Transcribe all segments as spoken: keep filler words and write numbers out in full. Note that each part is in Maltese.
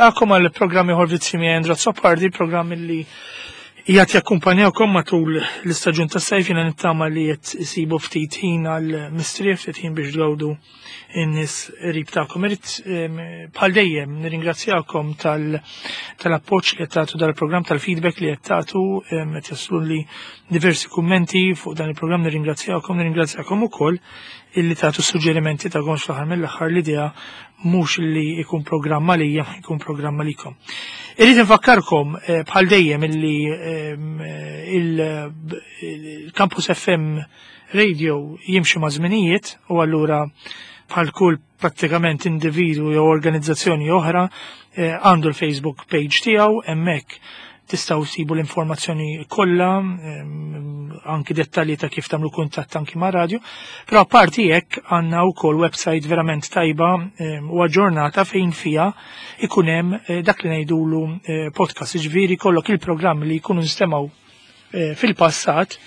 Nilqakom għal programm ieħor Vizzji miegħi Andrew Azzopardi, programm li qiegħed jakkumpanjawkom matul l-istaġun tas-sajf. Jiena nittama li qed isibu ftit ħin għal mistrieħ, ftit ħin biex tgawdu in-nies qrib tagħkom. Irid bħal dejjem nirringrazzjakom tal-appoġġ li qed tagħtu dal-programm, tal-feedback li qed tagħtu, qed jaslu li diversi kummenti fuq dan il-programm, nirringrazzjakom, nirringrazzjakom ukoll illi tagħtu suġġerimenti tagħkom. Fl-aħħar mill-aħħar l-idea mhux li jkun programm għalija, jkun programm għalikom. Irrid infakkarkom bħal dejjem illi il-Campus F M Radio jimxi ma' żminijiet u allura bħal kull prattikament individu jew organizzazzjoni oħra għandu l-Facebook page tiegħu. Hemmhekk tistgħu ssibu l-informazzjoni kollha, anki dettalji ta' kif tagħmlu kuntatt anki ma' radio. Però apparti hekk għandna wkoll website verament tajba u aġġornata fejn fiha ikun hemm dak li ngħidulu podcast, ġifieri kollok il-programmi li jkunu nstemgħu fil-passat,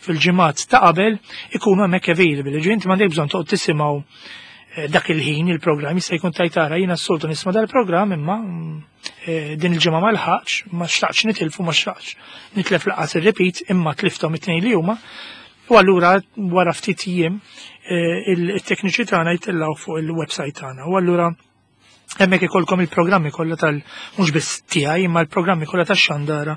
fil-ġimgħat ta' qabel, ikunu hemmhekk available. Ġifieri inti m'għandek bżonn toqgħod tisimgħu dak il-ħin il-programm, jista' jkun tajtara jiena s-soltu nisma' dal-programm imma din il-ġimgħa ma lħaqx, ma xtaqx nitilfu, ma xtaqx nitlef laqas ir-repeat, imma tlifthom it-tnejn li huma. U allura wara ftit jiem il-tekniċi tagħna jtellgħu fuq il-website tagħna. U allura hemmhekk ikolkom il-programmi kollha tal mhux biss tiegħi imma l-programmi kollha tax-xandara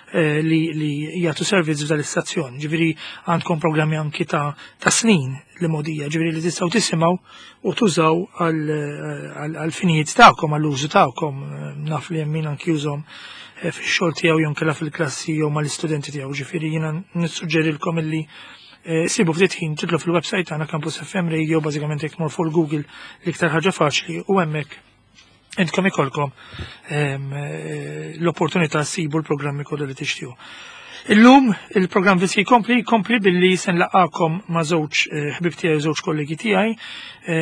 li li jagħtu servizz f'dan l-istazzjon. Ġifieri għandkom programmi anki ta' ta' snin li modija, ġifieri li tistgħu tisimgħu u tużaw għal finijiet tagħkom, għall-użu tagħkom. Naf li hemm min anki jużhom fix-xogħol tiegħu jew inkella fil-klassi jew mal-istudenti tiegħu. Ġifieri jiena nissuġġerilkom illi sibu ftit ħin tidħlu fil-website tagħna Campus F M Radio, bażikament jekk tmur fuq Google l-iktar ħaġa faċli, u hemmhekk intkom ikolkom l-opportunità ssibu l-programmi kollha li tixtiequ. Illum il-programm Vizzji jkompli, jkompli billi se nlaqakom ma' żewġ ħbib tiegħi, żewġ kollegi tiegħi,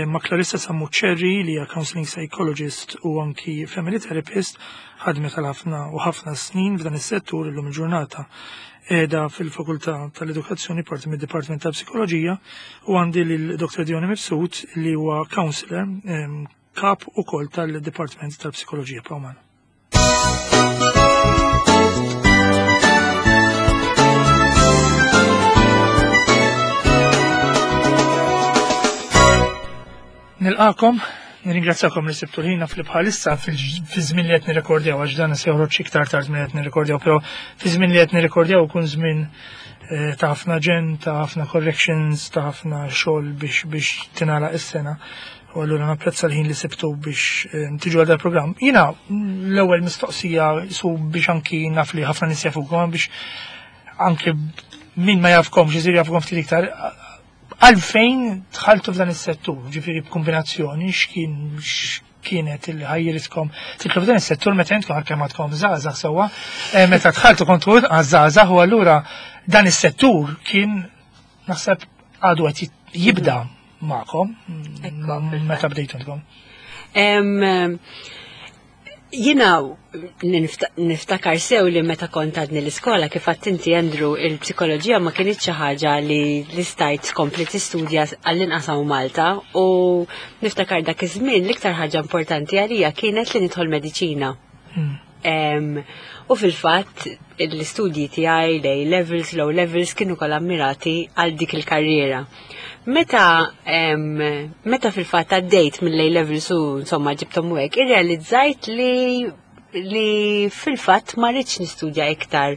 ma' Clarissa Sammuccerri li hija counseling psychologist u anki family therapist, ħadmet għal ħafna u ħafna snin f'dan is-settur, illum il-ġurnata qiegħda fil-Fakultà tal-Edukazzjoni, parti mid-Dipartiment tal-Psikoloġija, u għandi lil Doktor Dione Mifsud li huwa counselor, kap ukoll tal-Dipartiment tal-Psikoloġija. Pawman. Nilqakom, nirringrazzjakom li sibtu l-ħina fil-bħalissa fi żmien li qed nirrekordjaw, għax dan se joħroġ iktar tard minn qed nirrekordjaw, però fi żmien li qed nirrekordjaw ikun żmien eh, ta' ħafna ġen, ta' ħafna corrections, ta' ħafna xogħol biex biex tingħalaq is-sena. U allura napprezza l-ħin li sibtu biex eh, tiġu għal dal-programm. Jiena l-ewwel mistoqsija su biex anki naf li ħafna nies jafukom, biex anki min ma jafkomx isir jafkom ftit iktar, għalfejn dħaltu f'dan is-settur, ġifieri b'kombinazzjoni x'kien x'kienet il ħajjiritkom tidħlu f'dan is-settur meta intkom għalkemm għadkom żgħażagħ sewwa, eh, meta dħaltu kontu żgħażagħ u allura dan is-settur kien naħseb għadu qed jibda magħkom meta bdejtu intkom. Jiena niftakar sew li meta kont għadni l-iskola, kif inti Andrew, il-psikoloġija ma kienx xi ħaġa li li stajt tkompli tistudja għall-inqas hawn Malta, u niftakar dak iż-żmien l-iktar ħaġa importanti għalija kienet li nidħol mediċina. Hmm. U fil-fatt l-istudji tiegħi, l levels, l-O levels, kienu kollha mirati għal dik il-karriera. Meta meta fil-fatt għaddejt mill-A levels u insomma ġibtom u hekk, irrealizzajt li li fil-fatt ma rridx nistudja iktar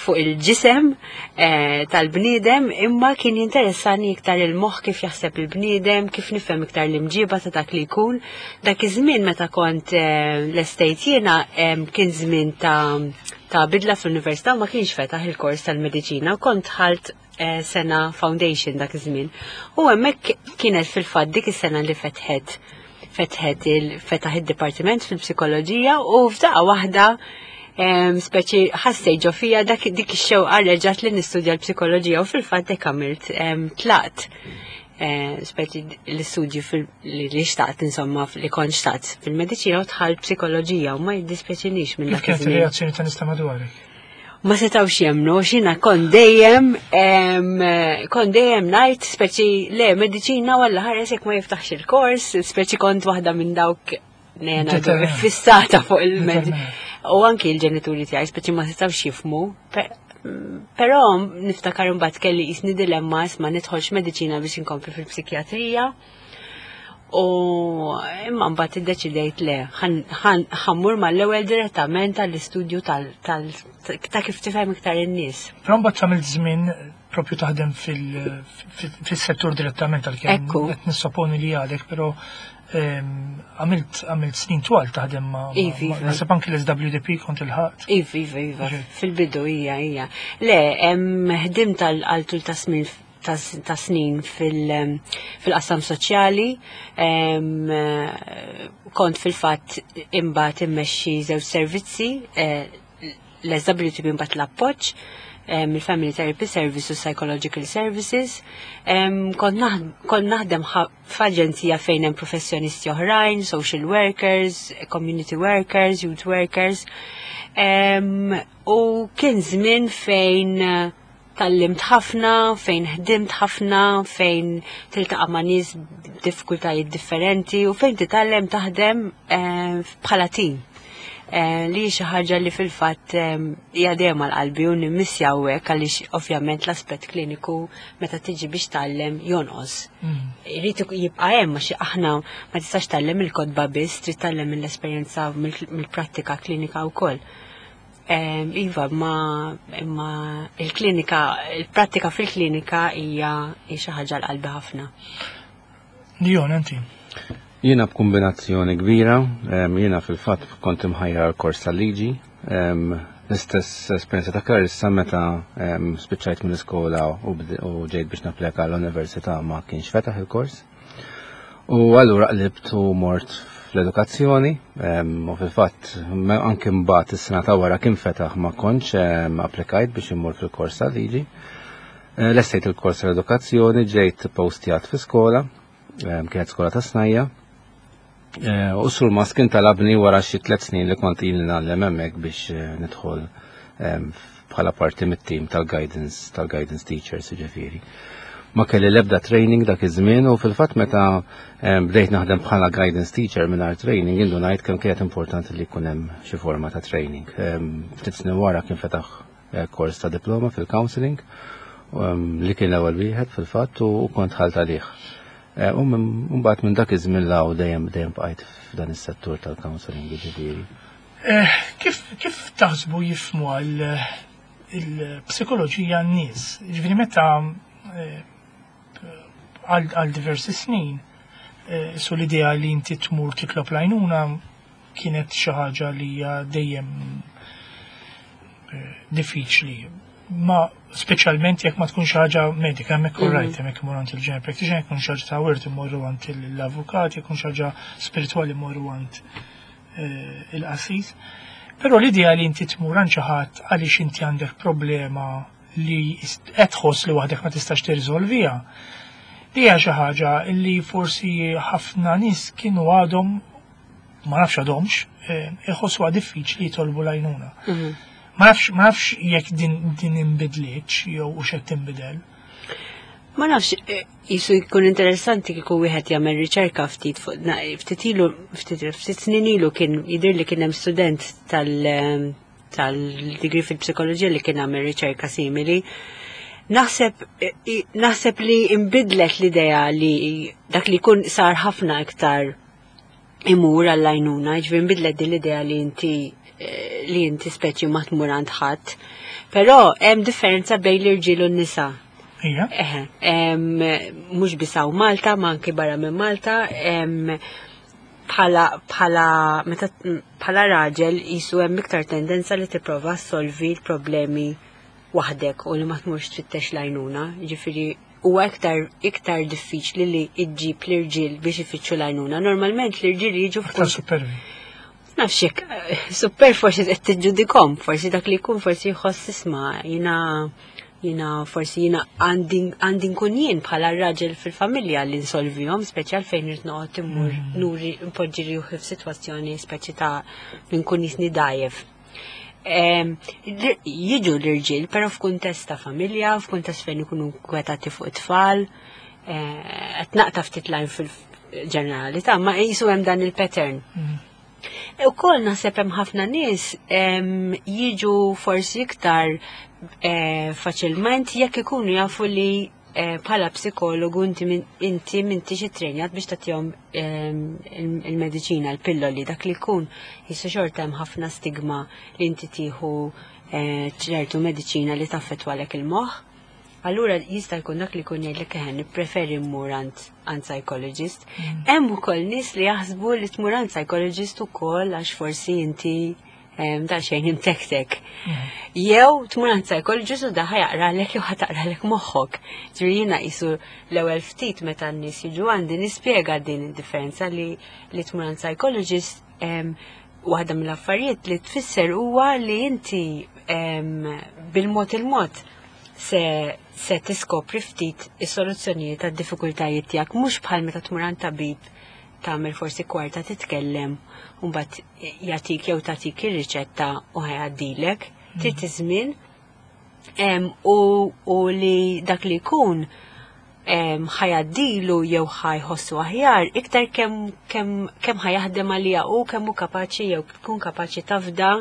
fuq il-ġisem eh, tal-bniedem, imma kien jinteressani iktar il-moħħ, kif jaħseb il-bniedem, kif nifhem iktar l-imġiba ta' dak li jkun. Dak iż-żmien meta kont eh, l-estate jiena kien żmien ta' ta' bidla fl-università u ma kienx fetaħ il-kors tal-mediċina u kont dħalt eh, sena foundation dak iż-żmien. U hemmhekk kienet fil-fatt dik is-sena li fetħet fetħet il fetaħ id-dipartiment fil-psikoloġija u f'daqqa waħda speċi ħassejt ġo fija dak dik ix-xewqa reġgħet li nistudja l-psikoloġija u fil-fatt hekk għamilt, tlaqt eh, speċi l-istudji li xtaqt, insomma li kont xtaqt fil-mediċina, u dħalt psikoloġija u ma jiddispjaċinix minn dak. Kif kienet ir-reazzjoni ta' nies ta' madwarek? Ma setawx jemnu, xina kont dejjem, kont dejjem ngħid, speċi le, mediċina walla ħares jekk ma jiftaħx il-kors, speċi kont waħda minn dawk ngħidu fissata fuq il-mediċina. U anki l-ġenituri tiegħi speċi ma setgħux jifhmu. Però niftakar imbagħad kelli jisni dilemma ma nidħolx mediċina biex inkompli fil-psikjatrija. U imma mbagħad iddeċidejt le, ħa mmur mal-ewwel direttament għall-istudju ta' kif tifhem iktar in-nies. Però mbagħad tagħmel żmien propju taħdem fil-settur direttament, għalkemm qed nissoponi li għadek, però għamilt għamilt snin twal taħdem ma' naħseb anki l-S W D P kont il-ħadd. Iva, iva, iva, fil-bidu hija, hija. Le, ħdimt għal tul ta' snin ta' snin fil-qasam soċjali, kont fil-fatt imbagħad immexxi żewġ servizzi, eh, l-S W T P, imbagħad l-Appoġġ, il-Family Therapy Service u Psychological Services. Kont naħdem f'aġenzija fejn hemm professjonisti oħrajn, social workers, community workers, youth workers. U kien żmien fejn eh, tgħallimt ħafna, fejn ħdimt ħafna, fejn tiltaqa' ma' nies b'diffikultajiet differenti u fejn titgħallem taħdem eh, bħala team. Eh, li xi ħaġa li fil-fatt eh, hija dejjem għal qalbi u nimmissja hawnhekk, għaliex ovvjament l-aspett kliniku meta tiġi biex tgħallem jonqos. Mm. Irid jibqa' hemm, għax aħna ma tistax tgħallem il-kotba biss, trid tgħallem mill-esperjenza, mill-prattika klinika wkoll. Em, Iva, ma, imma il-klinika, il-prattika fil-klinika hija hija xi ħaġa għal qalbi ħafna. Dion, inti. Jiena b'kombinazzjoni kbira, em, jiena fil-fatt kont imħajjar kors tal-liġi, em, l-istess esperjenza ta' Clarissa, meta em, spiċċajt mill-iskola u bd- u ġejt biex napplika l-università, ma kienx fetaħ il-kors. U allura qlibt u mort fl-edukazzjoni, em, u fil-fatt me- anke mbagħad is-sena ta' wara kien fetaħ, ma kontx em, applikajt biex immur fil-kors tal-liġi. Eh, Lestejt il-kors tal-edukazzjoni, ġejt postjat fi skola, em, kienet skola ta' snajja'. Eh, U surmast kien talabni wara xi tliet snin li kont ili ngħallem hemmhekk biex eh, nidħol em, bħala parti mit-team tal-guidance tal-guidance teachers, ġifieri. Ma kelli l-ebda training dak iż-żmien u fil-fatt meta em, bdejt naħdem bħala guidance teacher mingħajr training, indunajt kemm kienet importanti li jkun hemm xi forma ta' training. Em, Ftit snin wara kien fetaħ eh, kors ta' diploma fil-counseling em, li kien l-ewwel wieħed fil-fatt u u kont dħalt għalih. Eh, U minn- mbagħad minn dak iż-żmien 'l hawn dejjem dejjem bqajt f'dan is-settur tal-counseling, ġifieri. Eh, Kif kif taħsbu jifhmu għal il-psikoloġija n-nies? Ġifieri meta eh, għal għal diversi snin, eh, su l-idea li inti tmur titlob l-għajnuna kienet xi ħaġa li hija dejjem eh, diffiċli. Ma speċjalment jekk ma tkun xi ħaġa medika, hemmhekk mm right, hemmhekk imorru għand il-general practitioner, jekk xi ħaġa ta' wirt imorru għand l-avukat, jekk xi ħaġa spiritwali imorru għand eh, il-qassis. Però l-idea li inti tmur għand xi ħadd għaliex inti għandek problema li qed tħoss li waħdek ma tistax tirriżolviha. Di hija xi ħaġa li forsi ħafna nies kienu għadhom, ma nafx għadhomx, eh, iħossuha diffiċli jitolbu l-għajnuna. Ma nafx ma nafx jekk din din inbidlitx jew u x'qed tinbidel. Ma nafx, eh, jisu jkun interessanti kieku wieħed jagħmel riċerka ftit fuq na- ftit ilu, ftit ftit snin ilu kien jidher li kien hemm student tal tal-degree fil-psikoloġija li kien għamel riċerka simili. Naħseb eh, i- naħseb li imbidlet l-idea li dak li jkun sar ħafna iktar imur għall-għajnuna, ġifieri nbidlet din l-idea li inti eh, li inti speċi ma tmur għand ħadd. Però hemm differenza bejn l-irġiel u n-nisa. Ija. Eħe, em, mhux biss hawn Malta, ma anke barra minn Malta, em, bħala bħala meta bħala raġel jisu hemm iktar tendenza li tipprova solvi l-problemi waħdek u li ma tmurx tfittex l-għajnuna. Ġifieri huwa iktar iktar diffiċli li iġġib l-irġiel biex ifittxu l-għajnuna. Normalment l-irġiel jiġu Aktar supervi. Nafx jekk eh, super forsi qed tiġġudikom, forsi dak li jkun forsi jħoss, isma', jiena jiena forsi jiena għandi għandi nkun jien bħala raġel fil-familja li nsolvihom, speċjal fejn irid noqgħod immur nuri npoġġi ruħi f'sitwazzjoni speċi ta' li nkun jisni dajef. Em, l- Jiġu l-irġiel, però f'kuntest ta' familja, f'kuntest fejn ikunu kwetati fuq it-tfal, eh, qed naqta' ftit lajn fil ġeneralità, ma qisu hemm dan il-pattern. Mm. U koll naħseb hemm ħafna nies em, jiġu forsi iktar eh, faċilment jekk ikunu jafu li eh, bħala psikologu inti min- inti m'intix ittrenjat biex tagħtihom em, il- il-mediċina, il-pilloli, dak li jkun qisu xorta hemm ħafna stigma li inti tieħu eh, ċertu mediċina li taffettwalek il-moħħ. Allura jista' jkun dak li jkun jgħidlek eħen nippreferi mmur għand għand psychologist. Hemm ukoll nies li jaħsbu li tmur għand psychologist ukoll għax forsi inti em, daqsxejn imtektek. Jew tmur għand psychologist u da ħa jaqralek jew ħa taqralek moħħok. Ġifieri jiena qisu l-ewwel ftit meta n-nies jiġu għandi nispjega din id-differenza li li tmur għand psychologist em, waħda mill-affarijiet li tfisser huwa li inti em, bil-mod il-mod se, se tiskopri ftit is-soluzzjonijiet tad-diffikultajiet tiegħek mhux bħal meta tmur għand tabib tagħmel forsi kwarta titkellem u mbagħad jagħtik jew tagħtik ir-riċetta u ħa jgħaddilek. Trid iż-żmien em, u, u li dak li jkun em, ħa jgħaddilu jew ħa jħossu aħjar iktar kemm kemm kemm ħa jaħdem għalija u kemm hu kapaċi jew tkun kapaċi tafda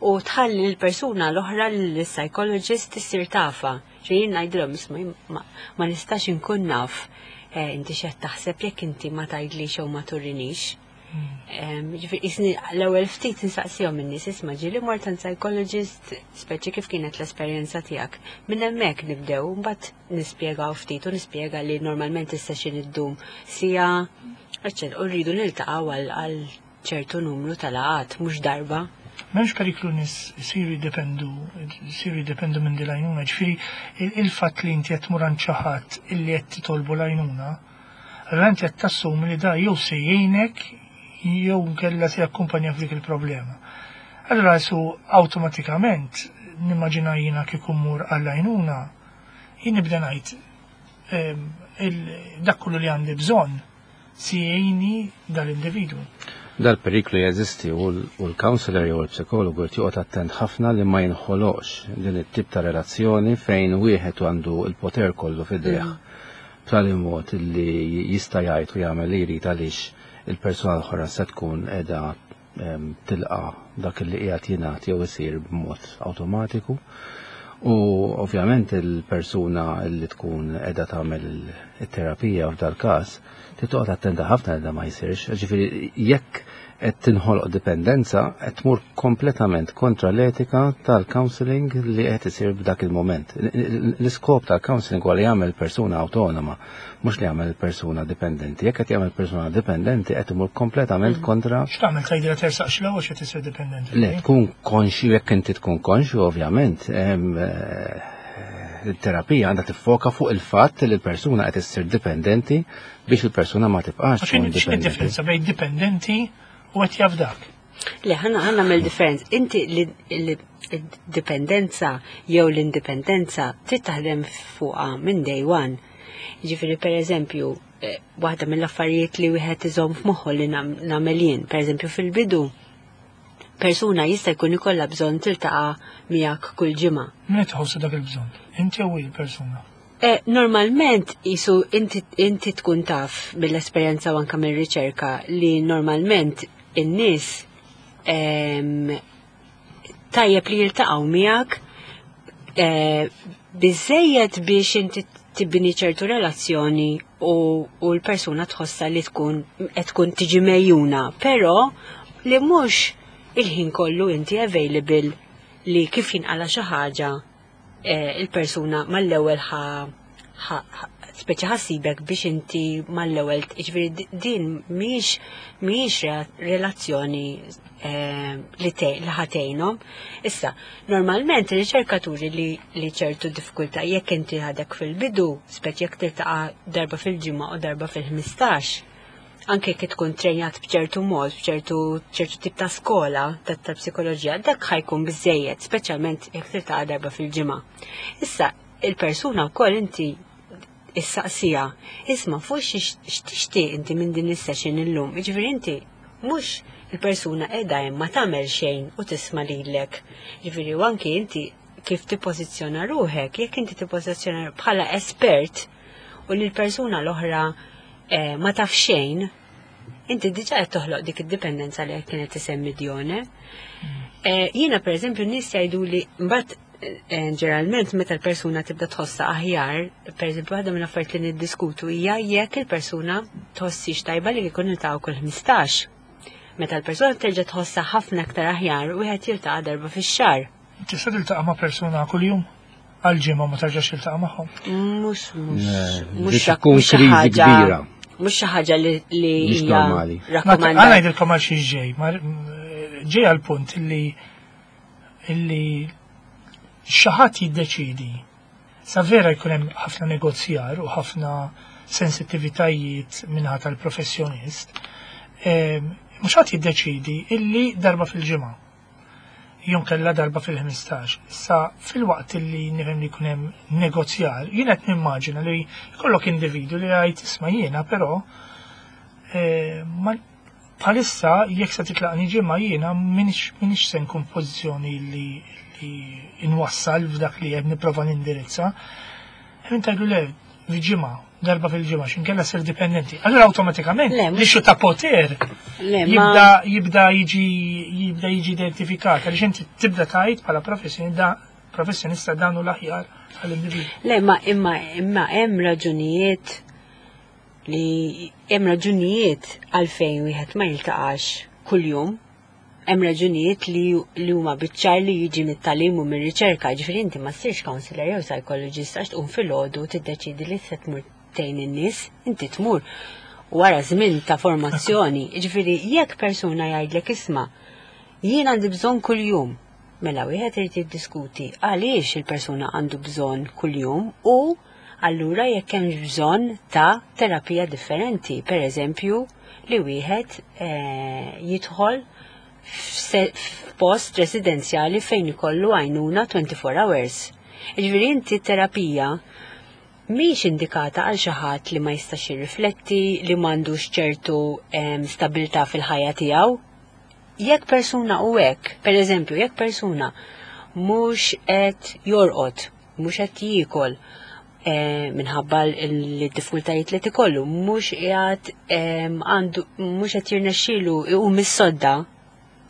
u tħalli l-persuna l-oħra l-psychologist issir tafha. Ġifieri jien ngħidilhom isma' jien ma, ma nistax inkun naf eh, inti x'qed taħseb jekk inti ma tgħidlix jew ma turinix. Em, Ġifieri qisni l-ewwel ftit insaqsihom in-nies isma' ġieli mort għand psychologist speċi kif kienet l-esperjenza tiegħek. Minn hemmhekk nibdew mbagħad nispjegaw ftit u nispjega li normalment is-session iddum siegħa eċċetera, u rridu niltaqgħu għal għal ċertu numru tal-laqgħat mhux darba. M'hemmx periklu nies isiru jiddependu, isiru jiddependu minn din l-għajnuna, ġifieri il- il-fatt li inti qed tmur għand xi ħadd illi qed titolbu l-għajnuna, allura inti qed tassumi li da jew se jgħinek jew nkella se jakkumpanja f'dik il-problema. Allura su awtomatikament nimmaġina jiena kieku mmur għall-għajnuna, jien nibda ngħid ehm, il- dak kollu li għandi bżonn si jgħinni dal-individwu. Dal-periklu jeżisti u l- u l-counselor jew l-psikologu jrid joqgħod attent ħafna li ma jinħoloqx din it-tip ta' relazzjoni fejn wieħed għandu l-poter kollu f'idejh. B'tali mod li jista' jgħid u jagħmel li jrid għaliex il-persuna l-oħra se tkun qiegħda em, tilqa' dak li qiegħed jingħad jew isir b'mod awtomatiku. U ovvjament il-persuna li tkun qiegħda tagħmel it-terapija f'dal każ trid toqgħod attenta ħafna li da ma jsirx. Ġifieri jekk qed tinħoloq dipendenza qed tmur kompletament kontra l-etika tal-counseling li qed isir f'dak il-moment. L-iskop tal-counseling huwa li jagħmel persuna awtonoma, mhux li jagħmel persuna dipendenti. Jekk qed jagħmel persuna dipendenti qed imur kompletament kontra X'tagħmel tgħidilha tersaqx l-ewwel x'qed isir dipendenti? Le, tkun konxju, jekk inti tkun konxju, ovvjament, em, eh, il-terapija għandha tiffoka fuq il-fatt li l-persuna qed issir dipendenti biex il-persuna ma tibqax X'in tkun x'in dipendenti. differenza bejn dipendenti u qed jafdak? Le, ħa ħa nagħmel differenza. Inti li li- id-dipendenza jew l-indipendenza trid taħdem fuqha minn day one. Ġifieri per eżempju, eh, waħda mill-affarijiet li wieħed iżomm f'moħħu li nam- nagħmel jien, per eżempju fil-bidu, persuna jista' jkun ikollha bżonn tiltaqa' miegħek kull ġimgħa. Min qed tħossu dak il-bżonn? Inti jew il-persuna? Eh, normalment qisu inti, inti tkun taf mill-esperjenza u anka mill-riċerka li normalment in-nies em, tajjeb li jiltaqgħu miegħek eh, biżejjed biex inti tibni ċertu relazzjoni u, u l-persuna tħossa li tkun qed tkun tiġi mejjuna, però li mhux il-ħin kollu inti available li kif jinqala xi ħaġa eh, il-persuna mal-ewwel ħa ħa- ħa- speċi ħa ssibek biex inti mal-ewwel ġifieri di- din mhijiex mhijiex re- relazzjoni eh, li te li ħa tgħinhom. Issa, normalment ir-riċerkaturi li li ċertu diffikultà jekk inti għadek fil-bidu, speċi jekk tiltaqa' darba fil-ġimgħa u darba fil-ħmistax, anke jekk tkun trenjat b'ċertu mod, b'ċertu ċertu tip ta' skola ta' ta' psikoloġija, dak ħa jkun biżejjed, speċjalment jekk tiltaqa' darba fil-ġimgħa. Issa, il-persuna wkoll inti issaqsija, isma' fuq x'tixtieq inti minn din is-session illum. Jiġifieri inti mhux il-persuna qiegħda hemm ma tagħmel xejn u tisma' lilek. Jiġifieri u anki inti kif tippożizzjona ruħek, jekk inti tippożizzjona bħala espert u li l-persuna l-oħra eh, ma taf xejn, inti diġà qed toħloq dik id-dipendenza li kienet tisemmi Dione. Eh, Jiena pereżempju nies jgħidu li mbagħad eh, ġeneralment meta l-persuna tibda tħossha aħjar, pereżempju waħda minn affarijiet li niddiskutu hija jekk il-persuna tħossix tajba li jkun niltaqgħu kull ħmistax. Meta l-persuna terġa' tħossha ħafna aktar aħjar, wieħed jiltaqa' darba fix-xahar. Tista' tiltaqa' ma' persuna kuljum għal ġimgħa ma tarġax tiltaqa' magħhom. Mhux mhux Le, mhux dik tkun mhux xi kriżi ħaġa kbira. mhux xi ħaġa li li Mhix hija normali. Għana rakkomandata. ngħidilkom għal xi ġej, ma ġej għal punt illi illi xi ħadd jiddeċidi. Sa vera jkun hemm ħafna negozjar u ħafna sensittivitajiet minħa tal-professjonist, em, mhux ħadd jiddeċidi illi darba fil-ġimgħa. Jew inkella darba fil-ħmistax. Issa fil-waqt illi nifhem li jkun hemm negozjar, jien qed nimmaġina li jkollok individu li jgħid isma' jiena però eh, ma bħalissa jekk se titlaqni ġimgħa jiena minix minix se nkun pożizzjoni li li inwassal f'dak li qed nipprova nindirizza. Hemm tgħidu le f'ġimgħa, darba fil-ġimgħa x'inkella sir dipendenti. Allura awtomatikament Le, mhux- l-issue ta' poter Le, ma jibda jibda jiġi jibda jiġi identifikat għaliex inti tibda tgħid bħala professjonista professjonista dan hu l-aħjar għall-individwu. Le, ma imma imma hemm raġunijiet li hemm raġunijiet għalfejn wieħed ma jiltaqax kuljum. Hemm raġunijiet li li huma biċ-ċar li jiġi mit-tagħlim u mir-riċerka, ġifieri inti ma ssirx counselor jew psychologist għax tqum filgħodu tiddeċidi li se tmur tgħin in-nies, inti tmur wara żmien ta' formazzjoni. Ġifieri jekk persuna jgħidlek isma' jien għandi bżonn kuljum. Mela wieħed irid jiddiskuti għaliex il-persuna għandu bżonn kuljum u allura jekk hemm bżonn ta' terapija differenti, per eżempju li wieħed eh, jidħol f'se- f'post residenzjali fejn ikollu għajnuna twenty-four hours. Ġifieri inti terapija mhix indikata għal xi ħadd li ma jistax jirrifletti, li m'għandux ċertu em, stabilità fil-ħajja tiegħu. Jekk persuna u hekk, per eżempju, jekk persuna mhux qed jorqod, mhux qed jiekol eh, minħabba l-diffikultajiet li tikollu, mhux qiegħed em, għandu mhux qed jirnexxielu iqum mis-sodda,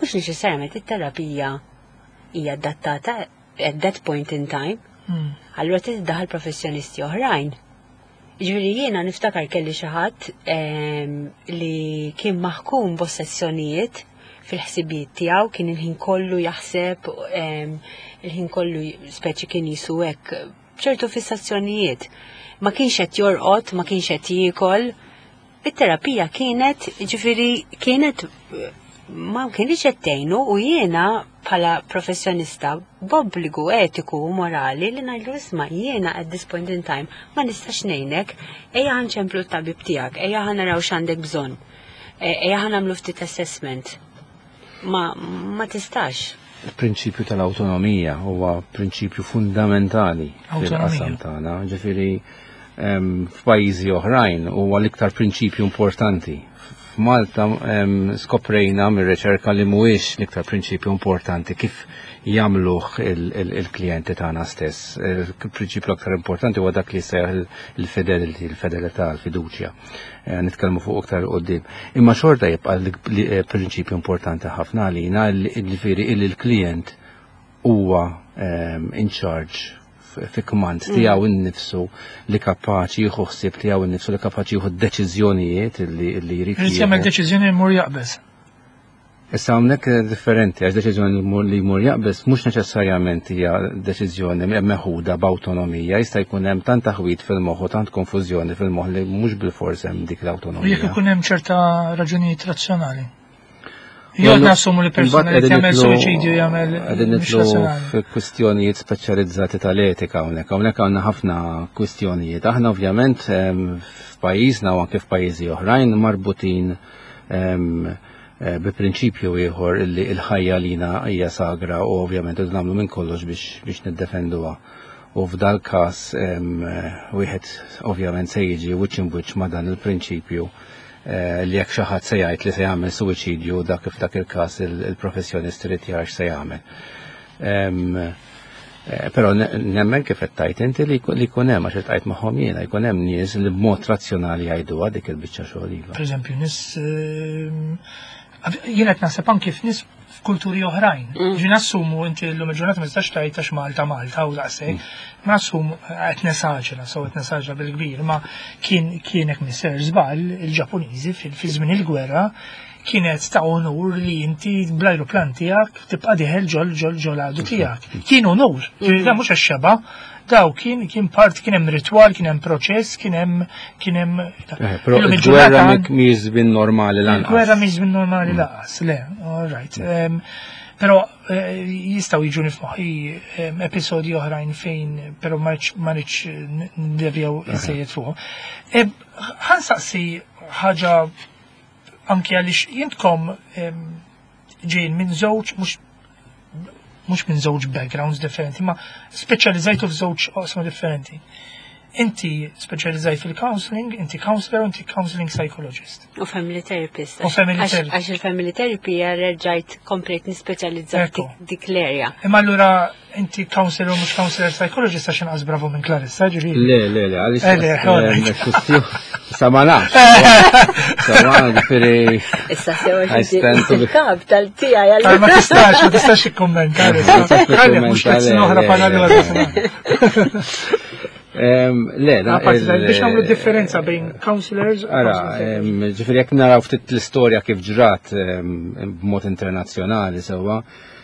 mhux neċessarjament it-terapija hija adattata at that point in time. Hmm. Allura tiddaħal professjonisti oħrajn. Ġifieri jiena niftakar kelli xi ħadd em, li kien maħkum b'ossessjonijiet fil-ħsibijiet tiegħu, kien il-ħin kollu jaħseb, em, il-ħin kollu speċi kien jisu hekk ċertu fissazzjonijiet. Ma kienx qed jorqod, ma kienx qed jiekol. It-terapija kienet, ġifieri kienet ma kienx qed tgħinu u jiena bħala professjonista b'obbligu etiku u morali li ngħidlu isma' jiena at this point in time ma nistax ngħinek, ejja ħa nċemplu t-tabib tiegħek, ejja ħa naraw x'għandek bżonn, e- ejja ħa nagħmlu ftit assessment. Ma, ma tistax. Il-prinċipju tal-autonomija huwa prinċipju fundamentali fil-qasam Autonomija. tagħna. Ġifieri em, f'pajjiżi oħrajn huwa l-iktar prinċipju importanti. F'Malta em, skoprejna mir-riċerka li mhuwiex l-iktar prinċipju importanti kif jagħmluh il-klijenti tagħna stess. Il-prinċipju l-aktar importanti huwa dak li seħ il-fidelity, il-fedelità, il-fiduċja. Eh, Nitkellmu fuq iktar quddiem. Imma xorta jibqa' l-prinċipju importanti ħafna għalina, ġifieri illi l-klient huwa em, in charge f- fi kmand tiegħu innifsu, li kapaċi jieħu ħsieb tiegħu innifsu, li kapaċi jieħu deċiżjonijiet illi illi jrid Irid jagħmel jieħu. deċiżjoni jmur jaqbeż. Issa hawnhekk differenti, għax deċiżjoni li jmur- li jmur jaqbeż mhux neċessarjament hija deċiżjoni meħuda b'awtonomija, jista' jkun hemm tant taħwid fil-moħħ u tant konfużjoni fil-moħħ li mhux bilfors hemm dik U jekk l-awtonomija. ikun hemm ċerta raġunijiet razzjonali. Jew nassumu li persuna li Imbagħad jagħmel qegħdin suwiċidju jagħmel qegħdin mhux nidħlu razzjonali. f'kwistjonijiet speċjalizzati tal-etika hawnhekk. Hawnhekk għandna ħafna kwistjonijiet. Aħna ovvjament em, f'pajjiżna u anke f'pajjiżi oħrajn marbutin em, eh, bi prinċipju ieħor illi l-ħajja lina hija sagra u ovvjament irridu nagħmlu minn kollox biex biex niddefenduha. U f'dal każ em, eh, wieħed ovvjament se jiġi wiċċ imwiċċ ma' dan il-prinċipju eh, li jekk xi ħadd se jgħid li se jagħmel suwiċidju, dak f'dak il-każ il-professjonist irid jara x'se jagħmel. Em, Eh, Però ne- nemmen kif qed tgħid inti li jkun- li jkun hemm, għax iltqajt magħhom jiena, jkun hemm nies li b'mod razzjonali jgħiduha dik il-biċċa xogħol iva. Per eżempju, nies ehm, jiena qed naħseb anki f'nies f'kulturi oħrajn. Ġi nassumu inti llum il-ġurnata ma tistax tgħid għax Malta Malta u daqshekk. Ma nassumu, qed nesaġera, so qed nesaġera bil-kbir, ma kien kien hekk mister żball, il-Ġappuniżi fil fi żmien il-gwerra kienet ta' onur li inti bl-ajruplan tiegħek tibqa' dieħel ġol ġol ġol għadu tiegħek. Kien onur, ġifieri da mhux għax-xeba, daw kien kien part, kien hemm ritwal, kien hemm proċess, kien hemm kien hemm Eh, Però Illum il-gwerra il-ġurnata mik mhijiex żmien normali lanqas. Il-gwerra mhix żmien normali lanqas, le, all right. Em, Però eh, jistgħu jiġuni f'moħħi em, episodji oħrajn fejn, però ma rridx ma rridx ndevjaw iżejjed fuqhom. Em, Ħa nsaqsi ħaġa anki għaliex intkom em, ġejjin minn żewġ, mhux mhux minn żewġ backgrounds differenti, ma speċjalizzajtu f'żewġ oqsma differenti. Inti speċjalizzajt fil-counseling, inti counselor, inti counseling psychologist. U family therapist. U family Għax- therapist. Għax il-family therapy reġajt komplejt nispeċjalizza Ekku. dik dik l-area. Imma allura inti counselor u mhux counselor psychologist għax inqas bravu minn Clarissa, ġifieri. Le, le, le, għaliex. Eh, le, all right. Sa ma nafx. Sa ma ġifieri. Issa sewa I stand to be- il-kap tal-tija Tal ma tistax, ma tistax ikkommenta. Ma tistax Għalli, mhux ikkommenta, tliet snin le, oħra le, bħala le, allura. Em, Le, da- Apparti il- biex nagħmlu differenza bejn counselors u Ara, counseling em, ġifieri jekk naraw ftit l-istorja kif ġrat em, b'mod internazzjonali sewwa,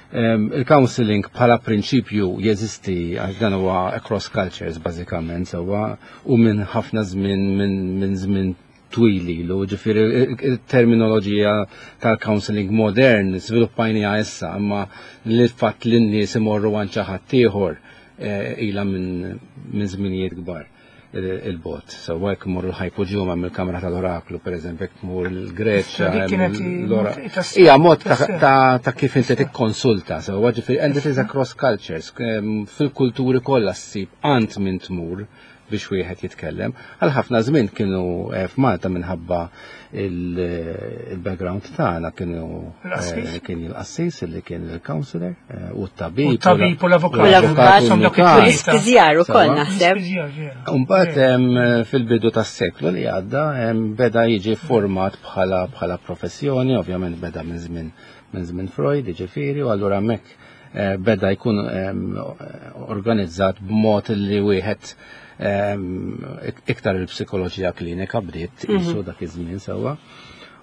em, il-counseling bħala prinċipju jeżisti għax dan huwa across cultures bażikament sewwa, u minn ħafna żmien, minn minn żmien twil ilu, ġifieri il-terminoloġija tal-counseling modern żviluppajniha issa, imma l-fatt li n-nies imorru għand xi ħadd ieħor eh, ilha minn minn żminijiet kbar il-bot. So, jekk mur l-Hypogeum mill-Kamra tal-Oraklu, per eżempju, jekk mur l-Greċja. Dik kienet l-ora- tas- Ija, mod ta' tas- ta' ta' kif inti tikkonsulta. So, ġifieri, and it is across cultures. Em, Fil-kulturi kollha ssib għand min tmur biex wieħed jitkellem. Għal ħafna żmien kienu eh, f'Malta minħabba il- il-background tagħna kienu Il-qassis? eh, kien il-qassis li kien il-counselor eh, u t-tabib. U t-tabib u l-avukat. U l-avukat, u Insomma, dawk n-nutar. U l-ispiżjar ukoll Sewwa. naħseb. Mbagħad em, fil-bidu tas-seklu li għadda em, beda jiġi format bħala bħala professjoni, ovvjament beda minn żmien minn żmien Freud, jiġifieri, u allura hemmhekk eh, beda jkun em, organizzat b'mod li wieħed em, ik- iktar il-psikoloġija klinika bdiet qisu dak iż-żmien sewwa.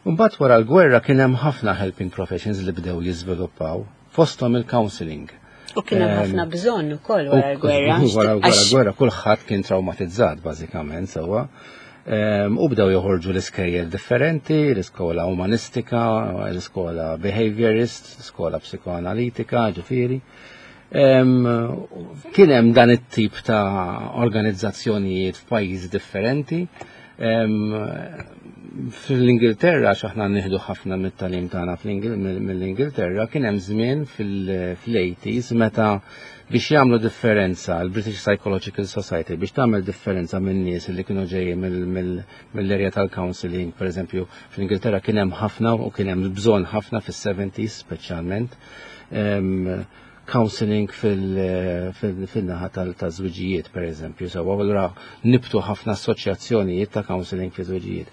Mbagħad wara l-gwerra kien hemm ħafna helping professions li bdew jiżviluppaw, fosthom il-counseling. U kien hemm Em, ħafna bżonn ukoll wara l-gwerra. Wara wara Għax- l-gwerra kulħadd kien traumatizzat bażikament sewwa. Em, U bdew joħorġu l-iskejjel differenti, l-iskola umanistika, l-iskola behaviorist, l-iskola psikoanalitika, ġifieri. Em, Kien hemm dan it-tip ta' organizzazzjonijiet f'pajjiżi differenti. Em, Fl-Ingilterra, x'aħna nieħdu ħafna mit-tagħlim tagħna fl-Ingil- mill-Ingilterra, kien hemm żmien fil-eighties meta biex jagħmlu differenza l-British Psychological Society, biex tagħmel differenza minn nies li kienu ġejjin mill- mill- mill-area tal-counseling, per eżempju, fl-Ingilterra kien hemm ħafna u kien hemm bżonn ħafna fis-seventies speċjalment em, counseling fil- fil- fil-naħa tal-żwiġijiet, per eżempju, so allura nibtu ħafna assoċjazzjonijiet ta' counseling fi żwiġijiet.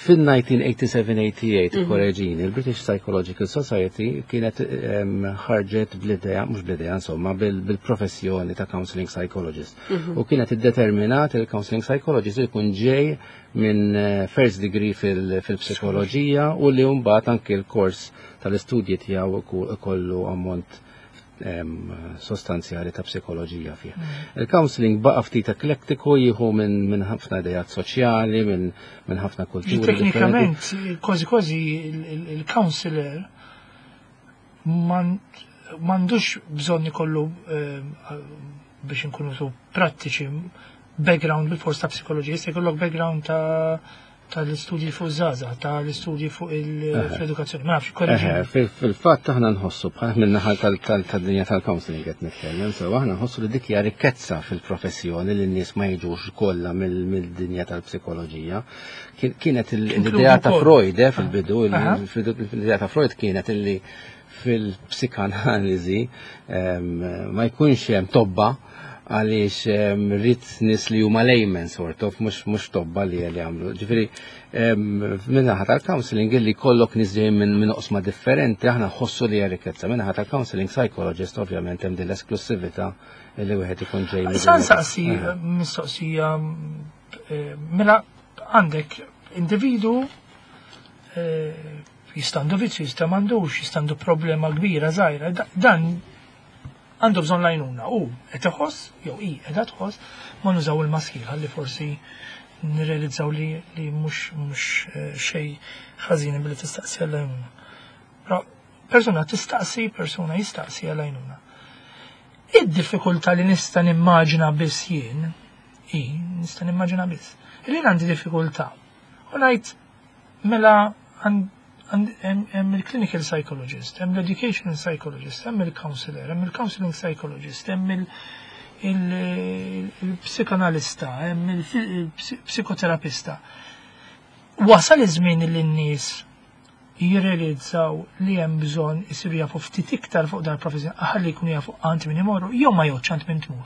Fil-elf disa' mija u sebgħa u tmenin tmienja u sebgħin, korreġini, il-British Psychological Society kienet em, ħarġet bl-idea, mhux bl-idea, insomma, bil- bil-professjoni ta' counseling psychologist. U kienet iddeterminat il-counseling psychologist jkun ġej minn eh, first degree fil- fil-psikoloġija u li mbagħad anke l-kors tal-istudji tiegħu iku- ikollu ammont em, sostanzjali ta' psikoloġija fih. Il-counseling baqa' ftit eklektiku, jieħu minn min ħafna idejat soċjali, minn min ħafna kulturi differenti. Teknikament, kważi kważi il-counselor m'għandux bżonn ikollu, eh, biex nkunu su prattiċi, background bil-fors ta' psikoloġija, jista' jkollok background ta' tal-istudji fuq żgħażagħ, tal-istudji fuq il-edukazzjoni. Ma nafx, Eħe, korreġini. fil- Fil-fatt aħna nħossu bħal minn-naħa tal-dinja tal-counseling qed nitkellem, so aħna nħossu li dik hija rikkezza fil-professjoni li n-nies ma jiġux kollha mill- mill-dinja tal-psikoloġija. Kien- Kienet il- l-idea ta' wkoll. Freud eh, fil-bidu, Aha. il- l-idea ta' Freud kienet illi Fil-psikanaliżi ma jkunx hemm tobba, għaliex rrid nies li huma laymen sort of, mhux mhux tobba li li għamlu. Ġifieri min-naħa tal-counseling li kollok nies ġejjin minn minn oqsma differenti, aħna nħossu li hija rikkezza. Min-naħa tal-counseling psychologist, ovvjament, hemm din l-esklusività li wieħed ikun ġej. Sa nsaqsi mistoqsija, eh, mela għandek individu, eh, jista' għandu vizzju, jista' m'għandux, jista' għandu problema kbira, żgħira, dan għandu bżonn l-għajnuna u qed iħoss jew hi qiegħda tħoss, ma nużaw il-maskil ħalli forsi nirrealizzaw li li mhux mhux eh, xejn ħażin billi tistaqsi għall-għajnuna. Però persuna tistaqsi, persuna jistaqsi għall-għajnuna. Id-diffikultà li nista' nimmaġina biss jien, i nista' nimmaġina biss, li għandi diffikultà. U ngħid mela hemm il-clinical psychologist, hemm l-educational psychologist, hemm il-counselor, hemm il-counseling psychologist, hemm il-psikanalista, hemm il-psikoterapista. Wasal iż-żmien li n-nies jirrealizzaw li hemm bżonn isiru jafu ftit iktar fuq dan il-professjoni, ħalli jkunu jafu għand min imorru jew ma jgħodx għand min tmur?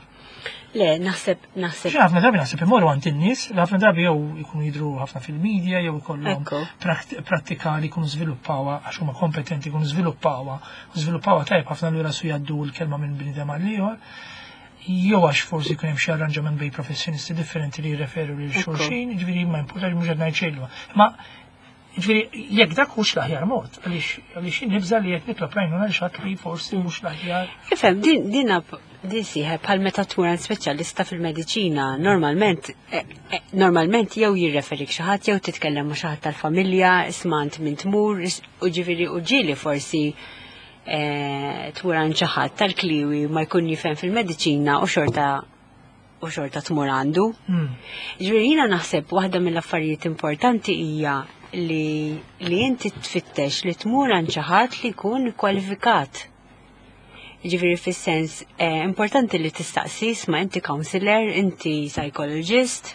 Le, naħseb, naħseb. Ħafna drabi naħseb imorru għand in-nies, ħafna drabi jew ikunu jidru ħafna fil-medja, jew ikollhom prattika li jkunu żviluppawha għax huma kompetenti, jkunu żviluppawha, u żviluppawha tajjeb ħafna, lura su jgħaddu l-kelma minn bniedem għal ieħor. Jew għax forsi jkun hemm xi arranġament bejn professjonisti differenti li jirreferu lil xulxin, ġifieri ma importax, mhux qed ngħid xejn. Ma ġifieri jekk dak hux l-aħjar mod, għaliex għaliex nibża li qed nitlob l-għajnuna lil xi ħadd li forsi mhux l-aħjar. Ifhem, din din din sieħeb bħal meta tmur għand speċjalista fil-mediċina, normalment eh, eh, normalment jew jirreferik xi ħadd jew titkellem ma' xi ħadd tal-familja, isma' għand min tmur, u ġifieri u ġieli forsi eh, tmur għand xi ħadd tal-kliwi ma jkun jifhem fil-mediċina u xorta u xorta tmur għandu. Hmm. Ġifieri jiena naħseb waħda mill-affarijiet importanti hija li li inti tfittex li tmur għand xi ħadd li jkun kwalifikat. Ġifieri fis-sens eh, importanti li tistaqsi, isma', inti counselor, inti psychologist,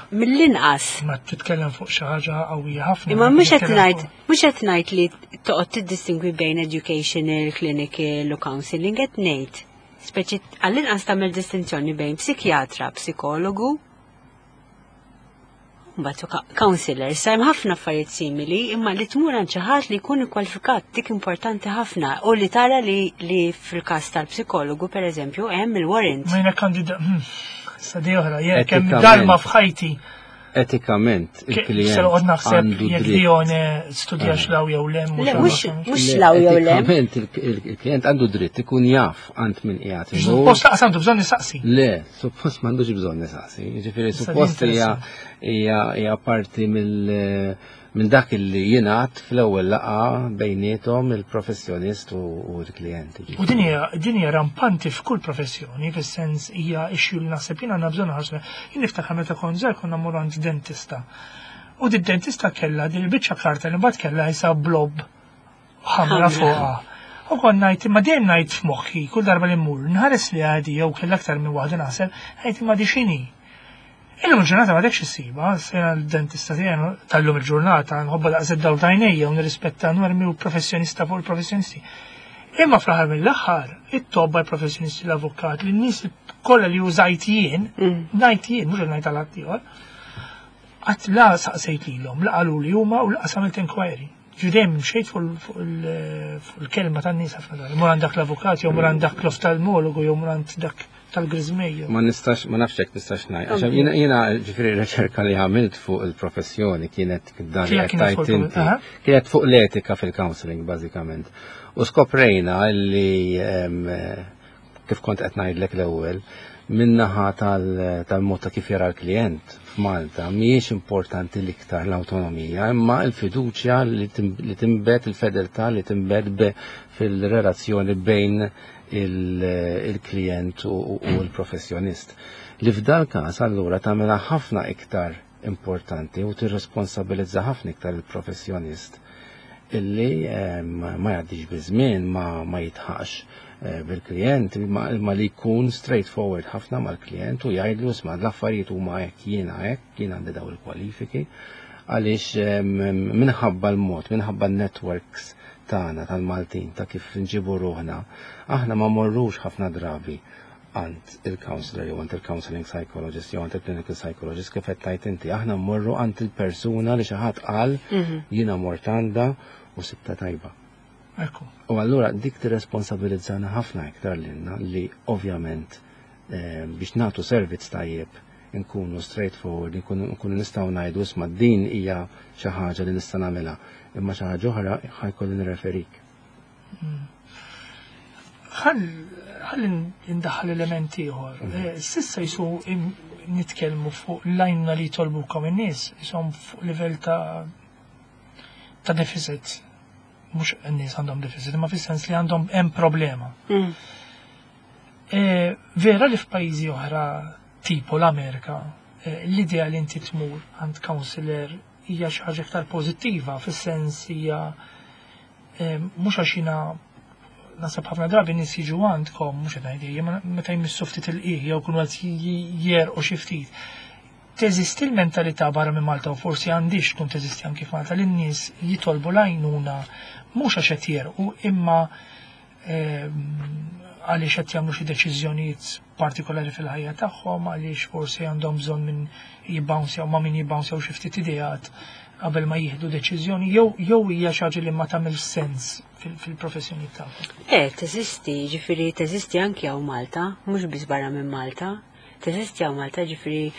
mill-inqas. Ma titkellem fuq xi ħaġa qawwija ħafna. Imma mhux qed Titkellem ngħid fuq- mhux qed ngħid li toqgħod tiddistingwi bejn educational, clinical u counseling, qed ngħid. Speċi għall-inqas tagħmel distinzjoni bejn psikjatra, psikologu, mbagħad ka- counselor. Sa hemm ħafna affarijiet simili, imma li tmur għand xi ħadd li jkun ikkwalifikat, dik importanti ħafna, u li tara li, li fil-każ tal-psikologu, pereżempju, hemm il-warrant. Ma jiena kandida, hmm, sa di oħra, jekk hemm Etikament. darba f'ħajti Etikament, se il-klient noqgħod naħseb għandu jekk dritt. Dione studja x'law jew le, Le, mhux mhux Le, law jew le. Etikament, il- il- il-klient għandu dritt ikun jaf għand min qiegħed imur. Suppost laqas għandu bżonn nisaqsi. Le, suppost m'għandux bżonn nisaqsi. Ġifieri Issa suppost din hija hija hija parti mill minn dak li jingħad fl-ewwel laqgħa bejniethom il-professjonist u u l-klient. U din hija din hija rampanti f'kull professjoni, fis-sens hija issue li naħseb jien għandna bżonn ħarsna. Jien niftakar meta kont żgħir konna mmorru għand dentista. U di dentista kellha din il-biċċa karta li mbagħad kellha isa blob ħamra Ħamra. fuqha. U kont ngħid, imma dejjem ngħid f'moħħi kull darba li mmur, nħares li għadi jew kellha aktar minn waħda, naħseb, ngħid, imma di x'inhi? Illum il-ġurnata ma dekx issiba, sena l-dentista tiegħi tal-lum il-ġurnata nħobba daqs id-dawl t'għajnejja u nirrispetta normi u professjonista fuq il-professjonisti. Imma fl-aħħar mill-aħħar, it-tobba, il-professjonisti, l-avukat, l-nies kollha li użajt jien, Mm. ngħid jien, mhux ngħid għal ieħor, qatt la saqsejt lilhom, la qalu li huma u laqas għamilt inquiry. Ġudem mxejt fuq il- fuq il-kelma tan-nies ħafna drabi. Mur għand dak l-avukat, jew mur għand dak l-oftalmologu, jew mur għand dak tal-griżmejju. Ma nistax, ma nafx jekk nistax ngħid. Għax jiena jiena ġifieri riċerka li għamilt fuq il-professjoni kienet dan li Kienet qed kienet fuq tgħid inti. aha. Kienet fuq l-etika fil-counseling bażikament. U skoprejna li em, kif kont qed ngħidlek l-ewwel, min-naħa tal- tal-mod ta' kif jara l-klient f'Malta mhijiex importanti l-iktar l-awtonomija, imma l-fiduċja li tim- li timbet, il-fedeltà li timbet be- fil-relazzjoni bejn il- il-klient u u l-professjonist. Li f'dal każ allura tagħmilha ħafna iktar importanti u tirresponsabilizza ħafna iktar il-professjonist illi eh, ma ma jgħaddix biż-żmien, ma, ma jitħax eh, bil-klient, ma, ma li jkun straightforward ħafna mal-klient u jgħidlu, isma', l-affarijiet huma hekk, jiena hekk, jien għandi daw il-kwalifiki, Għaliex minħabba l-mod, minħabba l-networks tagħna tal-Maltin ta' kif nġibu ruħna, aħna ma morrux ħafna drabi għand il-counselor jew għand il-counseling psychologist jew għand il-clinical psychologist kif qed tgħid inti, aħna mmorru għand il-persuna li xi ħadd qal mhm. jiena mort għandha u sibta tajba. Ekku. U allura dik tirresponsabilizzana ħafna iktar lilna li ovvjament eh, biex nagħtu servizz tajjeb nkunu straightforward, nkunu nistgħu ngħidu isma' din hija xi ħaġa li nista' nagħmilha, imma xi ħaġa oħra ħa jkolli nirreferik. Mm. Ħalli ndaħħal elementi ieħor. Mhm. Eh, s'issa jisu nitkellmu fuq l-għajnuna li jitolbukom in-nies, jisom fuq livell ta' ta' deficit. Mhux n-nies għandhom deficit, ma fis-sens li għandhom hemm problema. Mm. Eh, vera li f'pajjiżi oħra tipo l-Amerika, eh, l-idea li inti tmur għand counselor hija xi ħaġa iktar pożittiva, fis-sens hija mhux għax jiena naħseb ħafna drabi nies jiġu għandkom, mhux qed ngħid imma meta jmissu ftit il-qiegħ jew kunu qed jerqu xi ftit. Teżisti l-mentalità barra minn Malta u forsi għandix tkun teżisti anki f'Malta li n-nies jitolbu l-għajnuna mhux għax qed jerqu imma għaliex qed jagħmlu xi deċiżjonijiet partikolari fil-ħajja tagħhom, għaliex forsi għandhom bżonn minn jibbouncjaw ma' min jibbouncjaw xi ftit ideat qabel ma jieħdu deċiżjoni jew jew hija xi ħaġa li ma tagħmel sens fil-professjoni tagħhom. Eh, teżisti, ġifieri teżisti anki hawn Malta, mhux biss barra minn Malta. Teżisti hawn Malta, ġifieri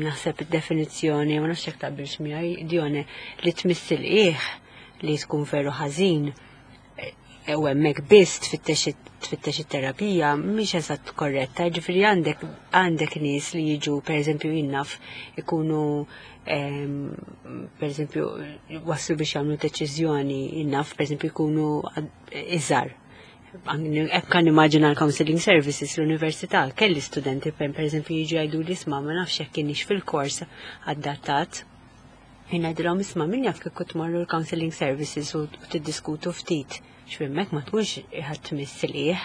naħseb id-definizzjoni, ma nafx jekk taqbilx miegħi, Dione, li tmiss il-qiegħ li tkun veru ħażin u hemmhekk biss tfittex tfittex it-terapija mhix eżatt korretta, ġifieri għandek għandek nies li jiġu pereżempju jien naf ikunu pereżempju waslu biex jagħmlu deċiżjoni jien naf pereżempju jkunu iżgħar. Hekk kan immaġina l-counseling services l-università, kelli studenti per pereżempju jiġu jgħidu li isma' ma nafx jekk kienx fil-kors adattat. Jien ngħidilhom isma' min jaf kieku tmorru l-counseling services u tiddiskutu ftit x'hemmhekk ma tkunx ħadd tmiss liħ.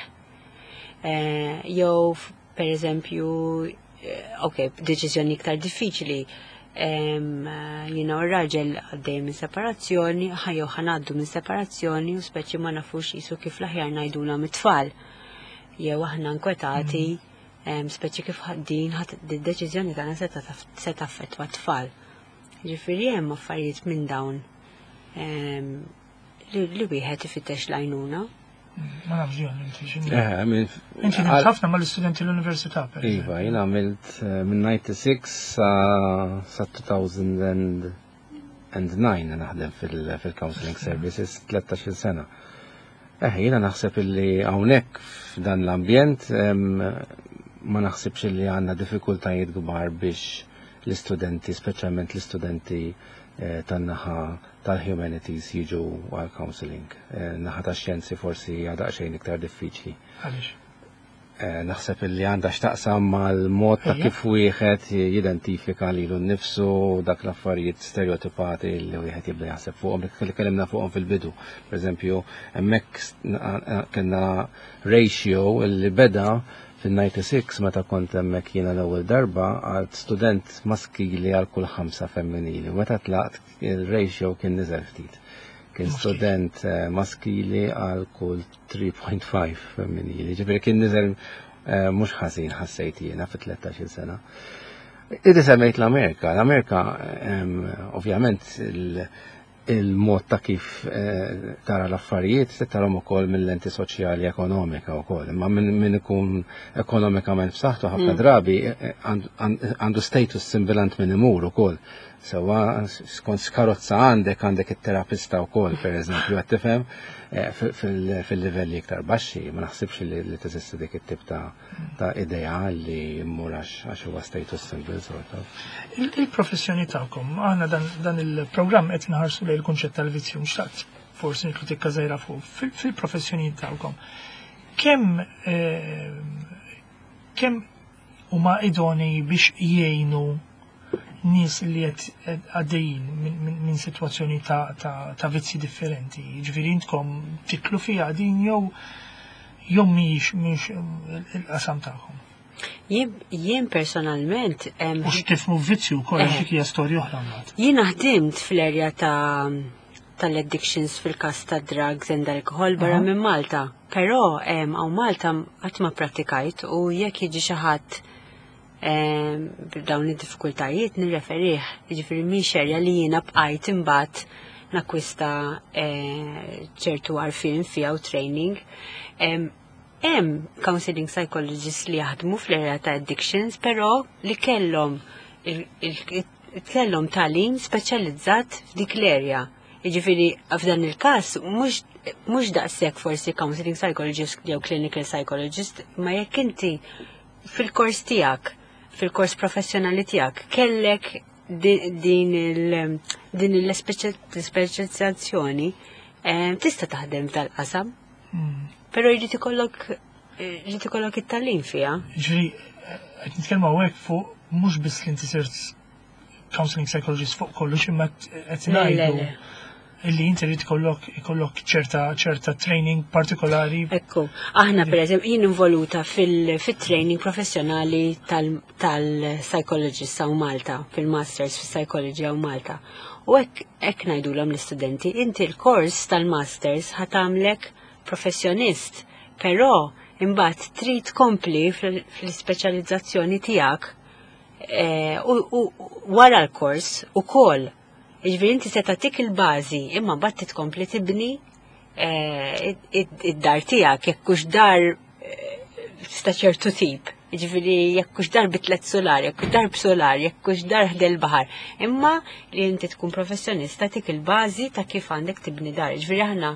Eh, jew per eżempju, eh, ok, deċiżjoni iktar diffiċli, jiena u r-raġel għaddej minn separazzjoni, jew ħa ngħaddu minn separazzjoni u speċi ma nafux jisu kif l-aħjar ngħidula mit-tfal. Jew aħna nkwetati, speċi kif din id-deċiżjoni tagħna se taffettwa t-tfal. Ġifieri hemm affarijiet minn dawn li wieħed ifittex l-għajnuna. Ma nafx jon, inti x'inhi. Eh, Inti ħafna mal-istudenti l-università. Per Iva, jien għamilt eh, minn disgħa u disgħin sa sa elfejn u disgħa naħdem fil-counseling services tlettax-il sena. Eh, jiena naħseb illi hawnhekk f'dan l-ambjent ma naħsibx illi għandna diffikultajiet kbar biex l-istudenti, speċjalment l-istudenti eh, tan-naħa tal-humanities jiġu għal counseling. Eh, naħa ta' xjenzi forsi għadha xejn iktar diffiċli. Għaliex? Eh, naħseb illi għandha x'taqsam mal-mod ta' kif wieħed jidentifika lilu nnifsu dak l-affarijiet stereotipati li wieħed jibda jaħseb fuqhom li kellimna fuqhom fil-bidu. Per eżempju, hemmhekk kellna ratio li beda fil-disgħa u disgħin meta kont hemmhekk jiena l-ewwel darba għal student maskili għal kull ħamsa femminili. U meta tlaqt il-ratio kien niżel ftit. Kien student eh, maskili għal kull tlieta punt ħamsa femminili. Ġifieri kien niżel eh, mhux ħażin ħassejt jiena fi tlettax-il sena. Idi semmejt l-Amerika. L-Amerika ovvjament il-mod ta' kif eh, tara l-affarijiet se tarahom ukoll mill-lenti soċjali ekonomika wkoll. Imma min ikun ekonomikament b'saħħtu ħafna mm. drabi eh, għandu status symbol għand min imur ukoll. Sewa skont skarozza għandek għandek it-terapista wkoll, per eżempju, qed tifhem eh, fil-livelli iktar baxxi, ma naħsibx li teżisti dik it-tip ta' idea li mmur għax huwa status symbol sort of. Il-professjoni tagħkom, aħna dan il-programm qed inħarsu lejn il-kunċett tal-vizzju, xtaqt forsi nitlu tikka żgħira fuq fil-professjoni tagħkom. Kemm eh, kemm huma idoni biex jgħinu nies li qed għaddejjin minn sitwazzjoni ta', ta, ta vizzi differenti. Ġifieri intkom titlu fiha din jew jew mhix mhix il-qasam tagħhom. Jien jien personalment em, U x'tifhmu vizzju wkoll Eh. dik hija storja oħra mbagħad. Jiena ħdimt fl-erja ta' tal-addictions fil-kas ta' drugs and alcohol barra Aha. minn Malta. Però em, hawn Malta qatt ma prattikajt u jekk jiġi xi ħadd em, b'dawn id-diffikultajiet nirreferih. Jiġifieri mhix erja li jiena bqajt imbagħad nakwista eh, ċertu għarfien fiha u training. Em, Hemm counseling psychologists li jaħdmu fl-area ta' addictions, però li kellhom il- il- kellhom tagħlim speċjalizzat f'dik l-area. Jiġifieri f'dan il-każ mhux mhux daqshekk forsi counseling psychologist jew clinical psychologist, ma jekk inti fil-kors tiegħek, fil-kors professjonali tiegħek, kellek di- din il din l-ispeċjalizzazzjoni, eh, tista' taħdem f'dal-qasam. Mm. Però jrid ikollok jrid ikollok it-tagħlim fiha. Ġifieri, qed nitkellmu hawnhekk fuq mhux biss li inti sirt counseling psychologist fuq kollox imma qed Le, le, ngħidu le. illi inti rrid ikollok ikollok ċerta ċerta training partikolari. Ekku, aħna per eżempju jien involuta fil-training professjonali tal-psychologist hawn Malta, fil-masters fil-psychology hawn Malta. U hekk hekk ngħidulhom l-istudenti, inti l-kors tal-masters ħa tagħmlek professjonist, però imbagħad trid tkompli fl-ispeċjalizzazzjoni tiegħek eh, u u wara l-kors ukoll. Jiġifieri inti se tagħtik il-bażi, imma mbagħad tkompli tibni eh, id-dar tiegħek jekk hux dar eh, ta' ċertu tip. Jiġifieri jekk hux dar bi tliet solar, jekk hux dar b'solar, jekk hux dar ħdejn il-baħar. Imma li inti tkun professjonista tik il-bażi ta' kif għandek tibni dar. Jiġifieri aħna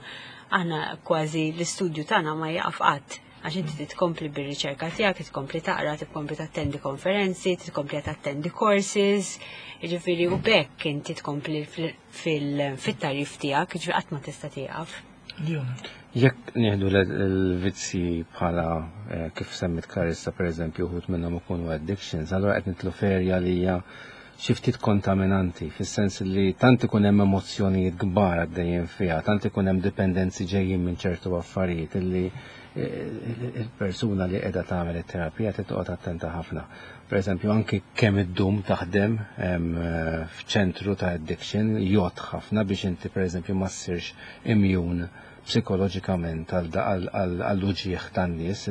aħna kważi l-istudju tagħna ma jaqaf qatt għax inti tkompli bir-riċerka tiegħek, tkompli taqra, tkompli tattendi konferenzi, tkompli tattendi courses, jiġifieri u b'hekk inti tkompli fil-tagħrif tiegħek, jiġifieri qatt ma tista' tieqaf. Leona. Jekk nieħdu l-vizzi bħala eh, kif semmit Clarissa per eżempju uħud minnhom ikunu addictions, allura qed nidħlu f'erja li hija xi ftit kontaminanti, fis-sens li tant ikun hemm emozzjonijiet kbar għaddejjin fiha, tant ikun hemm dipendenzi ġejjin minn ċertu affarijiet illi eh, il-persuna li qiegħda tagħmel it-terapija trid attenta ħafna. Per eżempju, anki kemm iddum taħdem em, eh, f'ċentru ta' addiction jgħod ħafna biex inti per eżempju ma ssirx immune psikoloġikament għall-uġieħ tan-nies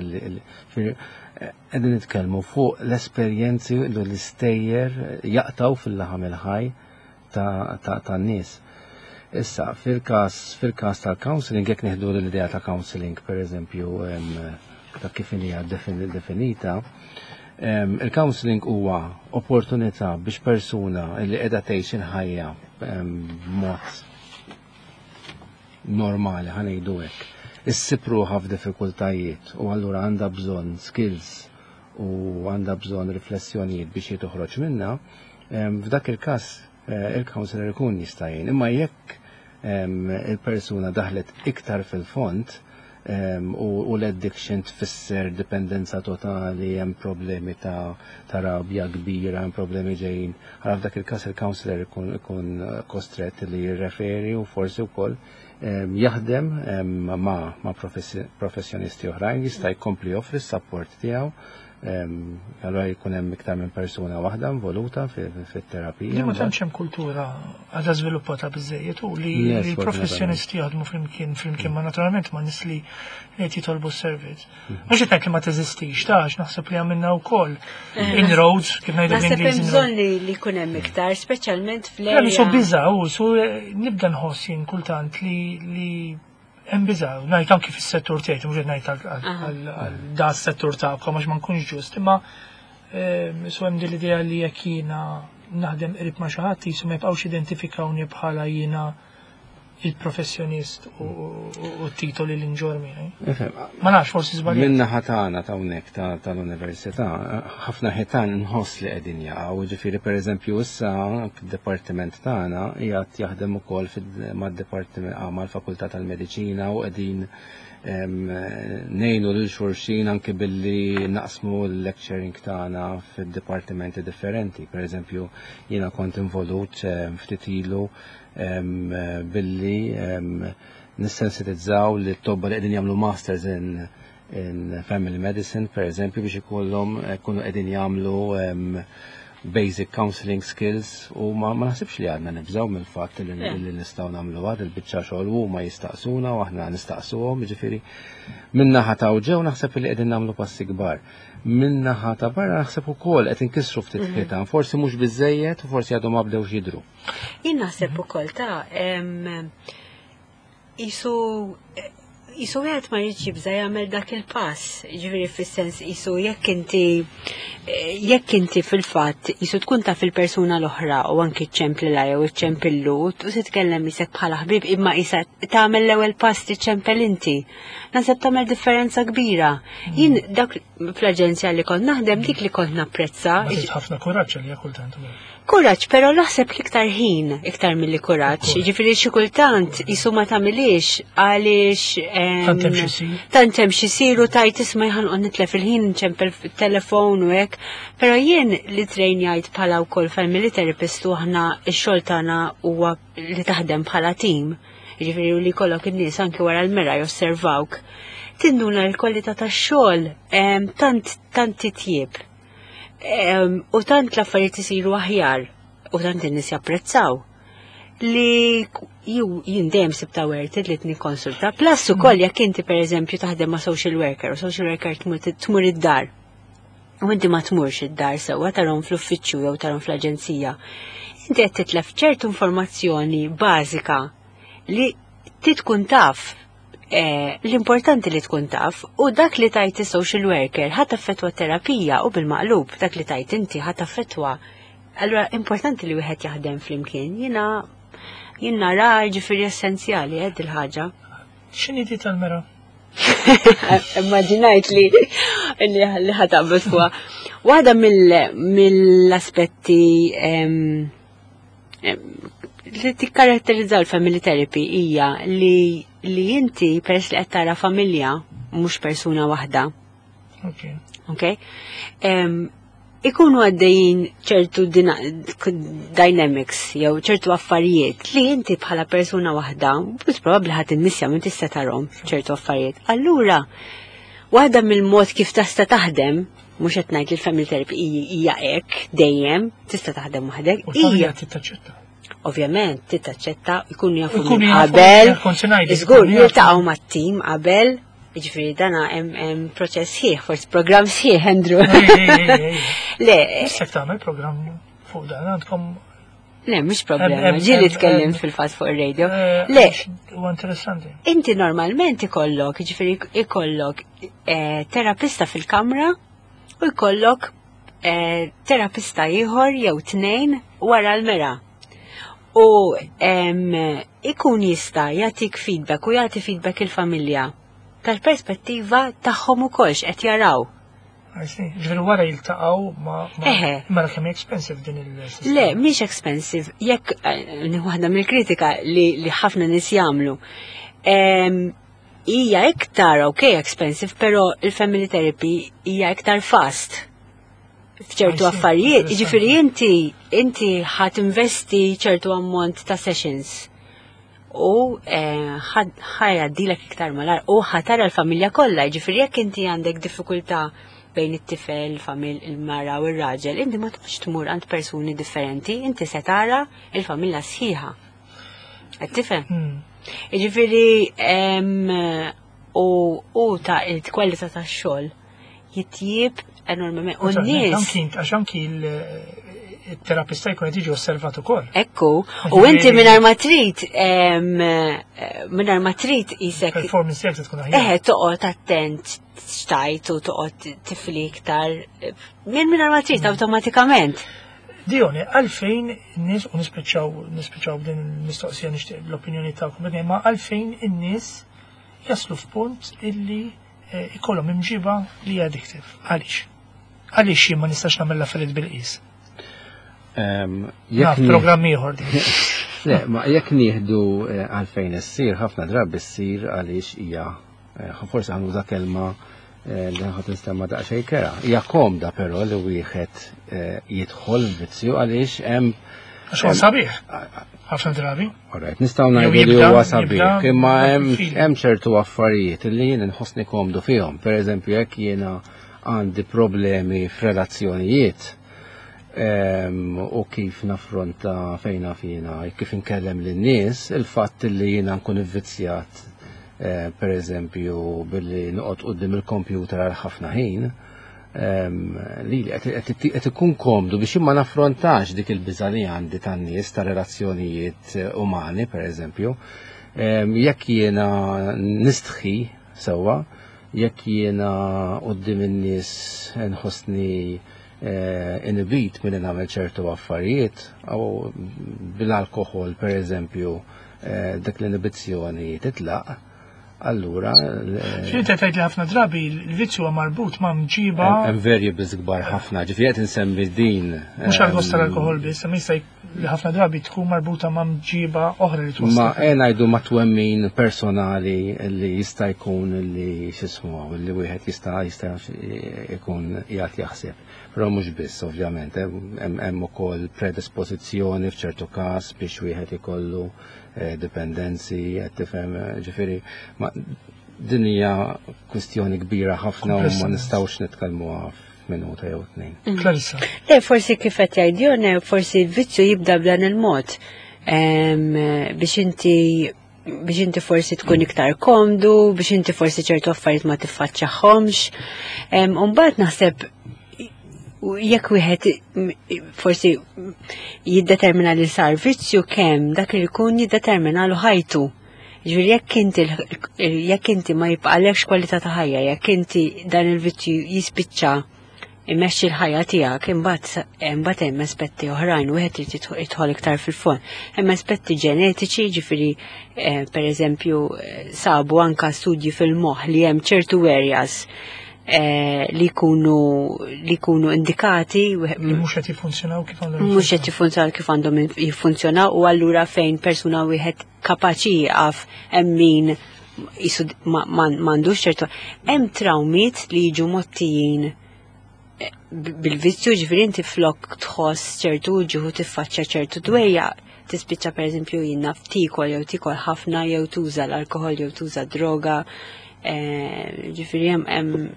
qegħdin nitkellmu fuq l-esperjenzi u l-istejjer jaqtaw fil-laħam il-ħaj tan-nies. Issa, fil-każ fil-każ tal-counseling, jekk nieħdu l-idea ta' counseling, per eżempju, ta' kif hija definita, il-counseling huwa opportunità biex persuna li qiegħda tgħix il-ħajja b'mod normali, ħa ngħidu hekk, issib ruħha f'diffikultajiet u allura għandha bżonn skills u għandha bżonn riflessjonijiet biex toħroġ minna, f'dak il-każ eh, il-counselor ikun jista' jgħin. Imma jekk il-persuna daħlet iktar fil-fond u l-addiction tfisser dipendenza totali, hemm problemi ta', ta rabja kbira, hemm problemi ġejjin. Għara f'dak il-każ il-counselor ikun, ikun kostret li jirreferi u forsi wkoll jaħdem ma', ma professjonisti oħrajn jista' jkompli joffri s-support tiegħu. Allora jkun hemm iktar minn persuna waħda involuta fit-terapija. Li ma tantx hemm kultura għadha żviluppata biżejjed u li l-professjonisti jaħdmu flimkien flimkien ma naturalment ma' nies li qed jitolbu s-servizz. Mhux qed ngħid li ma teżistix, tax naħseb li għamilna wkoll inroads kif ngħidu Naħseb hemm bżonn li jkun hemm iktar, speċjalment fl-erja. Su biża' u su nibda nħoss jien kultant li li hemm biża' ngħid anki fis-settur tiegħi, mhux qed ngħid għal da s-settur tagħkom għax ma nkunx ġust, imma su hemm din l-idea li jekk jiena naħdem qrib ma' xi ħadd jisu ma jibqgħux identifikawni bħala jiena il-professjonist u t-titoli li nġorr miegħi. Ma nafx forsi żbaljat. Minna ħatana ta' hawnhekk tal-università, ħafna ħitan nħoss li qegħdin jaqgħu, ġifieri pereżempju issa d-dipartiment tagħna qiegħed jaħdem ukoll mad-dipartiment mal-Fakultà tal-Mediċina u qegħdin ngħinu lil xulxin anke billi naqsmu l-lecturing tagħna fid-dipartimenti differenti. Per eżempju, jiena kont involut ftit ilu billi nissensitizzaw li t-tobba li qegħdin jagħmlu masters in, in family medicine, per eżempju, biex ikollhom eh, kunu qegħdin jagħmlu em, basic counseling skills u ma, ma naħsibx li għadna nibżaw mill-fatt li, Le. li nistgħu nagħmlu għad il-biċċa xogħol u ma jistaqsuna u aħna nistaqsuhom, jiġifieri min-naħa ta' ġew naħseb li qegħdin nagħmlu passi kbar. Min-naħa ta' barra naħseb ukoll qed inkissru ftit ħitan, forsi mhux biżejjed u forsi għadhom ma bdewx jidru. Jien naħseb ukoll ta' em, isu isu wieħed ma jridx jibża jagħmel dak il-pass, ġifieri fis-sens isu jekk inti jekk inti fil-fatt isu tkun taf il-persuna l-oħra u anki ċemplilha jew iċċempillu u titkellem isek bħala ħbib imma isa tagħmel l-ewwel pass tiċċempel inti. Naħseb tagħmel differenza kbira. Jien dak fl-aġenzja li kont naħdem dik li kont napprezza. Ma trid ħafna kuraġġ li kultant. Kuraġġ, però naħseb l-iktar ħin iktar milli kuraġġ. Ġifieri xi kultant jisu ma tagħmilix għaliex em, Tant hemm x'isir. Tant hemm x'isir u tajt isma' ħanqod nitlef il-ħin nċempel fit-telefon u hekk. Però jien li trejnjajt bħala wkoll family therapist u aħna x-xogħol tagħna huwa li taħdem bħala team. Ġifieri u li jkollok in-nies anki wara l-mera josservawk. Tinduna l-kwalità tax-xogħol em, tant tant titjieb. Em, u tant l-affarijiet isiru aħjar u tant in-nies japprezzaw li ju jien dejjem sibta worth it li nikkonsulta. Plus ukoll jekk inti pereżempju taħdem ma' social worker u social worker tmur tmur id-dar. U inti ma tmurx id-dar sewwa tarhom fl-uffiċċju jew tarhom fl-aġenzija. Inti qed titlef ċertu informazzjoni bażika li ti tkun taf eh, l-importanti li tkun taf u dak li tajt is-social worker ħa taffettwa terapija u bil-maqlub dak li tajt inti ħa taffettwa. Allura importanti li wieħed jaħdem flimkien. Jiena jien nara ġifieri essenzjali eh, il-ħaġa. X'inhi di tal-mera? Immaġinajt li li li ħa taqbad fuqha. Waħda mill-aspetti em, em, li tikkaratterizza l-family therapy hija li li inti peress li qed tara familja mhux persuna waħda, Ok. ok? Em, ikunu għaddejjin ċertu dina- dynamics jew ċertu affarijiet li inti bħala persuna waħda, mhux probabbli ħadd immissja minn tista' tarhom ċertu affarijiet. Allura, waħda mill-mod kif tista' taħdem, mhux qed ngħid li l-family therapy hija hekk dejjem, tista' taħdem waħdek, U l-familja hija tittaċċetta. ovvjament tittaċċetta, jkunu jafu Ikunu minn jafu, qabel, kont se ngħidlek, żgur ikunu jafu. jiltaqgħu mat-tim qabel, jiġifieri dana hemm hemm proċess sħiħ, forsi programm sħiħ, Andrew. Ej, ej, ej, ej. Le, Istek tagħmel programm fuq dan għandkom le, mhux problema, Hemm- hemm- ġieli hemm- tkellim hemm- fil-fatt fuq ir-radio. eh, Le, għax huwa interessanti. inti normalment ikollok, jiġifieri ikollok eh, terapista fil-kamra u jkollok eh, terapista ieħor jew tnejn wara l-mera. U em, ikun jista' jagħtik feedback u jagħti feedback il-familja tal-perspettiva tagħhom ukoll x'qed jaraw. I see. Ġifieri wara jiltaqgħu ma ma- Eħe. Mela kemm expensive din il-sistema. Le, mhix expensive. Jekk eh, waħda mill-kritika li, li ħafna nies jagħmlu. Em, Hija iktar ok expensive, però il-family therapy hija iktar fast. F'ċertu I see, affarijiet, interessanti. jiġifieri inti inti ħa tinvesti ċertu ammont ta' sessions u eh, ħa jgħaddilek iktar malar u ħa tara l-familja kollha, jiġifieri jekk inti għandek diffikultà bejn it-tifel, il-famil, il-mara u r-raġel, inti ma toqgħodx tmur għand persuni differenti, inti se tara il-familja sħiħa. Qed tifhem? Hmm. Jiġifieri em, u u ta' il-kwalità tax-xogħol jitjieb enormement. U n-nies Anki għax anki il-terapista jkun qed jiġi osservat ukoll. Ekku, u inti mingħajr ma trid, em, eh, mingħajr ma trid isek Performance tiegħek tkun aħjar. Eħe, toqgħod attent xtajt u toqgħod tifli iktar. Minn mingħajr ma trid awtomatikament. Dione, għalfejn in-nies u nispiċċaw nispiċċaw b'din il-mistoqsija nixtieq l-opinjoni tagħkom, ma għalfejn in-nies jaslu f'punt illi eh, ikollhom imġiba li hija addictive. Għaliex? Għaliex jien ma nistax nagħmel l-affarijiet bil-qis? Em, Naf jekk nie- programm ieħor din. Le, ma jekk nieħdu eh, għalfejn issir, ħafna drabi ssir għaliex hija eh, forsi ħa nuża kelma eh, li ħa tinstema' daqsxejn kerha. Hija komda però li wieħed eh, jidħol vizzju għaliex hemm Għax huwa sabiħ. Ħafna drabi. Alright, nistgħu ngħidu li huwa sabiħ, imma hemm ċertu affarijiet li jien inħossni komdu fihom. Pereżempju, jekk jiena għandi problemi f'relazzjonijiet u kif naffronta fejna fina, kif inkellem lin-nies, il-fatt li jiena nkun ivvizzjat pereżempju billi noqgħod quddiem il-kompjuter għal ħafna ħin, li qed ikun komdu biex ma naffrontax dik il-biża' li għandi tan-nies ta' relazzjonijiet umani pereżempju. Jekk jiena nistħi sewwa, jekk jiena quddiem in-nies nħossni inibit milli nagħmel ċertu affarijiet, u bil-alkoħol pereżempju dik l-inibizzjoni titlaq, allura X'inti tgħid li ħafna drabi l-vizzju huwa marbut ma' mġiba. Hemm variables kbar ħafna, ġifieri qed insemmi din. Mhux għall-gost tal-alkoħol biss, imma jista' li ħafna drabi tkun marbuta ma' mġiba oħra li twassal. Ma e ngħidu ma' twemmin personali li jista' jkun li x'ismu li wieħed jista' jista' jkun qiegħed jaħseb. Però mhux biss ovvjament, hemm ukoll predispożizzjoni f'ċertu każ biex wieħed ikollu dipendenzi, qed tifhem, ġifieri ma din hija kwistjoni kbira ħafna u ma nistgħux nitkellmuha f'minuta jew tnejn. Clarissa. Le, forsi kif qed jgħid Jone, forsi l-vizzju jibda b'dan il-mod. Biex inti biex inti forsi tkun iktar komdu, biex inti forsi ċertu affarijiet ma tiffaċċjahomx. U mbagħad naħseb jekk wieħed forsi jiddetermina li sar vizzju kemm dak li jkun jiddetermina lu ħajtu. Ġifieri jekk inti jekk inti ma jibqalekx kwalità ta' ħajja, jekk inti dan il-vizzju jispiċċa imexxi l-ħajja tiegħek, imbagħad imbagħad hemm aspetti oħrajn wieħed irid jidħol iktar fil-fond. Hemm aspetti ġenetiċi, ġifieri pereżempju sabu anka studji fil-moħħ li hemm ċertu areas li jkunu li jkunu indikati li mhux qed jiffunzjonaw kif għandhom mhux qed jiffunzjonaw kif għandhom jiffunzjonaw, u allura fejn persuna wieħed kapaċi jieqaf hemm min jisu m'għandux ċertu. Hemm trawmiet li jiġu mottijin bil-vizzju, ġifieri inti flok tħoss ċertu ġieħu tiffaċċja ċertu dwejja, tispiċċa pereżempju jinnaf tikol jew tikol ħafna jew tuża l-alkoħol jew tuża droga, ġifieri hemm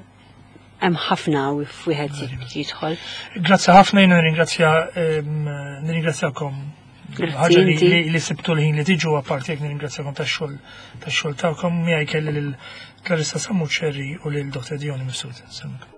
hemm ħafna wieħed jidħol. Grazzi ħafna, jiena nirringrazzja nirringrazzjakom. Ħaġa li sibtu l-ħin li tiġu apparti jekk nirringrazzjakom tax-xogħol tax-xogħol tagħkom. Miegħi kelli lil Clarissa Sammuċerri u lil Dottor Dione Mifsud. Sellmilkom.